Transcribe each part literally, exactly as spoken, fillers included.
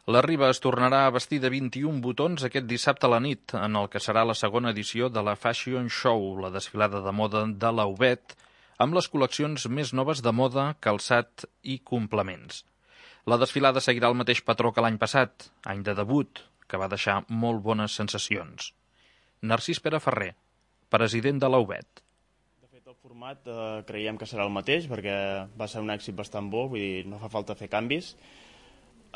La Riba es tornarà a vestir de vint-i-un botons aquest dissabte a la nit, en el que serà la segona edició de la Fashion Show, la desfilada de moda de l'Aubet, amb les col·leccions més noves de moda, calçat i complements. La desfilada seguirà el mateix patró que l'any passat, any de debut, que va deixar molt bones sensacions. Narcís Pere Ferrer, president de l'Aubet. De fet, el format eh, creiem que serà el mateix, perquè va ser un èxit bastant bo, vull dir, no fa falta fer canvis.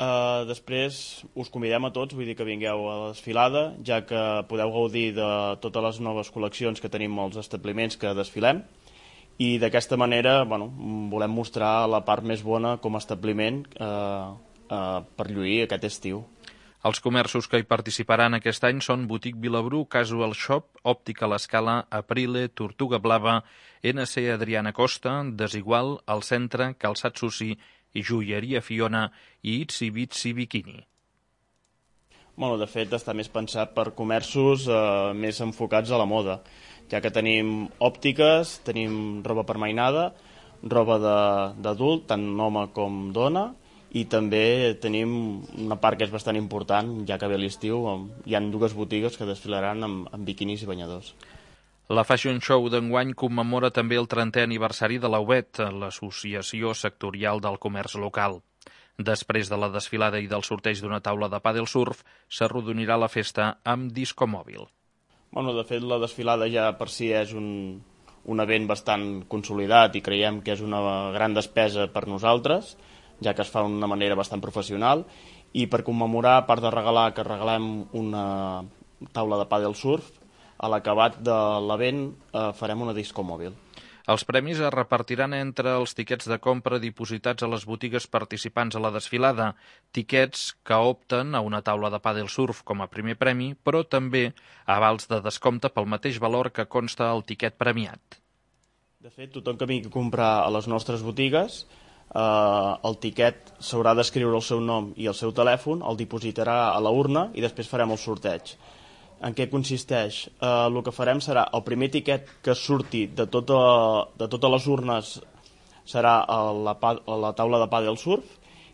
Uh, després us convidem a tots, vull dir que vingueu a la desfilada, ja que podeu gaudir de totes les noves col·leccions que tenim als establiments que desfilem, i d'aquesta manera bueno, volem mostrar la part més bona com a establiment uh, uh, per lluir aquest estiu. Els comerços que hi participaran aquest any són Botic Vilabru, Casual Shop, Òptica L'Escala, Aprile, Tortuga Blava, N C Adriana Costa, Desigual, El Centre, Calçat Susi i Joieria Fiona i Itsy Bitsy Bikini. Bueno, de fet, està més pensat per comerços eh, més enfocats a la moda, ja que tenim òptiques, tenim roba per mainada, roba d'adult, tant home com dona, i també tenim una part que és bastant important, ja que ve l'estiu, hi ha dues botigues que desfilaran amb, amb biquinis i banyadors. La Fashion Show d'enguany commemora també el trentè aniversari de l'Aubet, l'associació sectorial del comerç local. Després de la desfilada i del sorteig d'una taula de pàdel surf, s'arrodonirà la festa amb disco mòbil. Bueno, de fet, la desfilada ja per si és un, un event bastant consolidat i creiem que és una gran despesa per nosaltres, ja que es fa d'una manera bastant professional, i per commemorar, a part de regalar, que regalem una taula de pàdel surf, a l'acabat de l'event eh, farem una disco mòbil. Els premis es repartiran entre els tiquets de compra dipositats a les botigues participants a la desfilada, tiquets que opten a una taula de pàdel surf com a primer premi, però també avals de descompte pel mateix valor que consta al tiquet premiat. De fet, tothom que vingui a comprar a les nostres botigues, eh, el tiquet s'haurà d'escriure el seu nom i el seu telèfon, el dipositarà a la urna i després farem el sorteig. En què consisteix? Eh, el que farem serà el primer tiquet que surti de, tota, de totes les urnes serà a la, a la taula de pàdel surf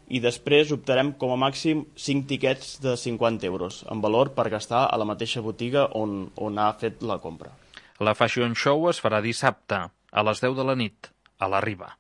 i després optarem com a màxim cinc tiquets de cinquanta euros en valor per gastar a la mateixa botiga on, on ha fet la compra. La Fashion Show es farà dissabte a les deu de la nit a la Riba.